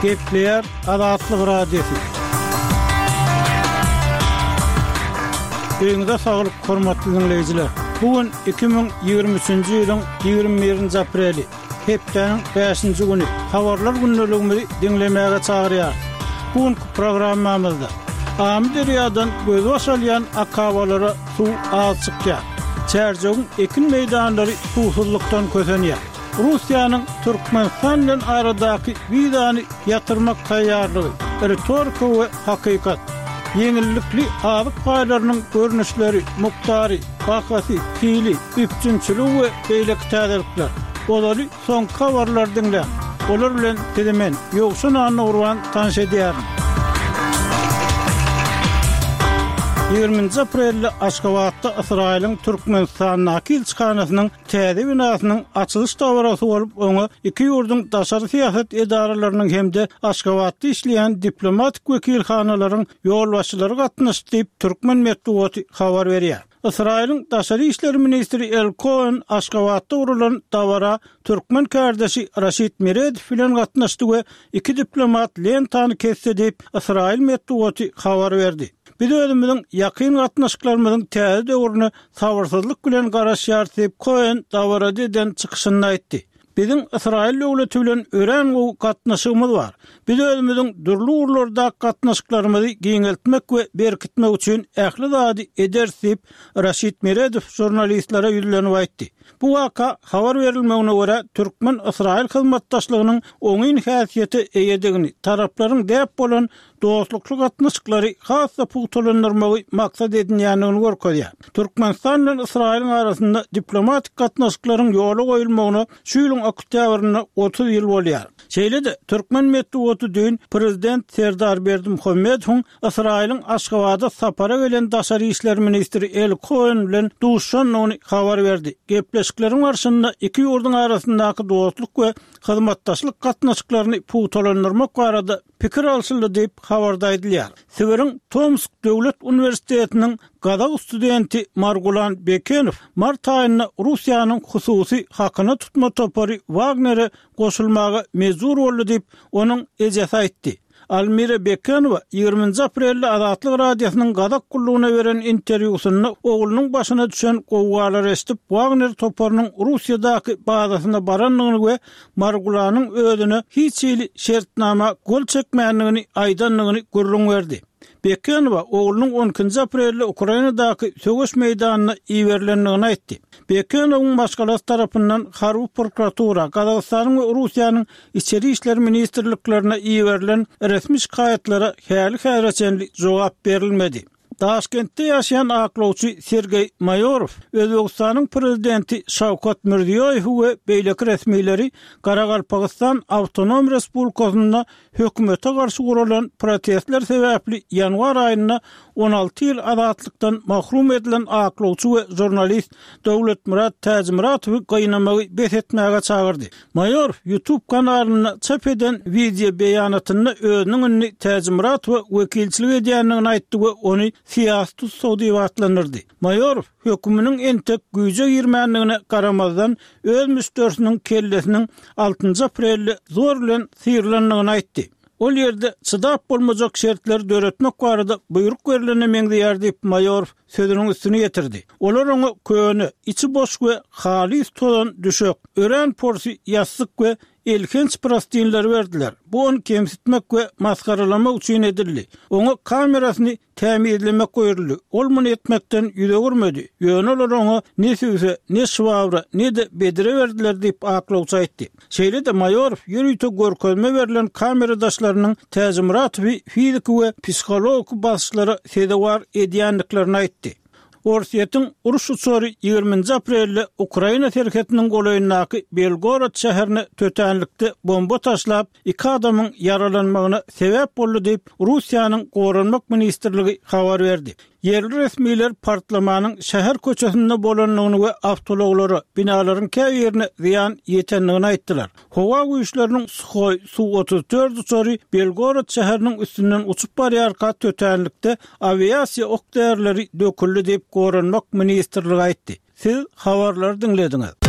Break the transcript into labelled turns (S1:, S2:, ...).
S1: Gepleýär Azatlyk Radiosy. Öýüňize saglyk, hormatly diňleýjiler! Bu gün 2023-nji ýylyň 21-nji apreli, hepdäniň bäşinji güni. Habarlar gündeligimizi diňlemäge çagyrýarys. Bu günki programmamyzda Amyderýadan gözbaş alýan akabalara suw az çykýar. Çärjewiň ekin meýdanlary suwsuzlykdan kösenýär. Russiýanyň Türkmenistan bilen aradaky wizany ýatyrmak taýýarlygy, ritorika we hakykat. Ýeňillikli azyk paýlarynyň görnüşleri, mukdary, bahasy, hili, üpjünçiligi we beýleki täzelikler. Ozaly soňky habarlary diňläň. Olar bilen sizi men, Ýowşan Annagurban tanyş edýärin. Ýigriminji aprelde Aşgabatda Ysraýylyň Türkmenistandaky ilçihanasynyň täze binasynyň açylyş dabarasy bolup, oňa iki ýurduň daşary syýasat edaralarynyň hem-de Aşgabatda işleýän diplomatik wekilhanalaryň ýolbaşçylary gatnaşdy diýip, türkmen metbugaty habar berýär. Ysraýylyň daşary işler ministri El Koen Aşgabatda guralan dabara türkmen kärdeşi Raşid Meredow bilen gatnaşdy we iki diplomat lentany kesdi diýip, ysraýyl metbugaty habar berdi. Biz özümiziň ýakyn gatnaşyklarymyzyň täze döwrüne sabyrsyzlyk bilen garaşýarys diýip, Koen dabarada eden çykyşynda aýtdy. Biziň Ysraýyl döwleti bilen örän gowy gatnaşygymyz bar. Biz özümiziň dürli ugurlardaky gatnaşyklarymyzy giňeltmek we berkitmek üçin ähli zady ederis diýip, Raşid Meredow žurnalistlere ýüzlenip aýtdy. Bu waka, habar berilmegine görä, türkmen-ysraýyl hyzmatdaşlygynyň oňyn häsiýete eýedigini, taraplaryň däp bolan dostlukly gatnaşyklary has-da pugtalandyrmagy maksat edinýändigini görkezýär. Türkmenistan bilen Ysraýylyň arasynda diplomatik gatnaşyklaryň ýola goýulmagyna şu ýylyň oktýabrynda 30 ýyl bolýar. Şeýle-de, türkmen metbugaty düýn prezident Serdar Berdimuhamedowyň Ysraýylyň Aşgabada sapara gelen daşary işler ministri Eli Koen bilen duşuşandygyny habar berdi. Gepleşikleriň barşynda iki ýurduň arasyndaky dostluk we hyzmatdaşlyk gatnaşyklaryny pugtalandyrmak barada pikir alşyldy diýip, habarda aýdylýar. Sibiriň Tomsk döwlet uniwersitetiniň gazak studenti Margulan Bekenow mart aýynda Russiýanyň hususy hakyna tutma topary Wagnere goşulmaga mejbur boldy diýip, onuň ejesi aýtdy. Almira Bekenowa ýigriminji aprelde Azatlyk Radiosynyň Gazak gullugyna beren interwýusynda oglunyň başyna düşen gowgalary eşidip, Wagner toparynyň Russiýadaky bazasyna barandygyny we Margulanyň özüne hiç hili şertnama gol çekmändigini aýdandygyny gürrüň berdi. Bekenowa oglunyň on ikinji aprelde Ukrainadaky söweş meýdanyna iberilendigini aýtdy. Bekenowyň maşgalasy tarapyndan harby prokuratura, Gazagystanyň we Russiýanyň Içeri işler ministrliklerine iberilen resmi şikaýatlara häli-häzire çenli jogap berilmedi. Daşkentde ýaşaýan aklawçy Sergeý Maýorow Özbegistanyň prezidenti Şawkat Mirziýoýewi we beýleki resmileri Garagalpagystan Awtonom Respublikasynda hökümete garşy guralan protestler sebäpli ýanwar aýynda 16 ýyl azatlykdan mahrum edilen aklawçy we žurnalist Döwletmyrat Täjimyratowy gynamagy bes etmäge çagyrdy. Maýorow YouTube kanalynda çap eden wideo beýanatynda özüniň indi Täjimuratowa wekilçilik edýändigini aýtdy we ony syýasy tussag diýip atlandyrdy. Maýorow höküminiň entek güýje girmändigine garamazdan, öz müşderisiniň kellesiniň altynjy aprelde zor bilen syrylandygyny aýtdy. Ol ýerde çydap bolmajak şertleri döretmek barada buýruk berlene meňzeýär diýip, Maýorow sözüniň üstüni ýetirdi. Olar oňa köne, içi boş we halys tozan düşek, örän porsy ýassyk we elhenç prostynlary berdiler. Bu ony kemsitmek we masgaralamak üçin edildi. Oňa kamerasyny tämizlemek buýruldy. Ol muny etmekden ýüz öwürmedi. Ýöne olar oňa ne sübse, ne şwabra, ne-de bedre berdiler diýip, aklawçy aýtdy. Şeýle-de Maýorow ýörite görkezme berlen kameradaşlarynyň Täjimuratowy fiziki we psihologiki basyşlara sezewar edýändiklerini aýtdy. Orsýetiň uruş uçary ýigriminji aprelde Ukraina serhetiniň golaýyndaky Belgorod şäherine tötänlikde bomba taşlap, iki adamyň ýaralanmagyna sebäp boldy diýip, Russiýanyň Goranmak ministrligi habar berdi. Ýerli resmiler partlamanyň şäher köçesinde bolandygyny we awtoulaglara, binalaryň käbirine zyýan ýetendigini aýtdylar. Howa güýçleriniň Suhoý Su-34 uçary Belgorod şäheriniň üstünden uçup barýarka tötänlikde awiasiýa ok-därileri döküldi diýip, Goranmak ministrligi aýtdy. Siz habarlary diňlediňiz.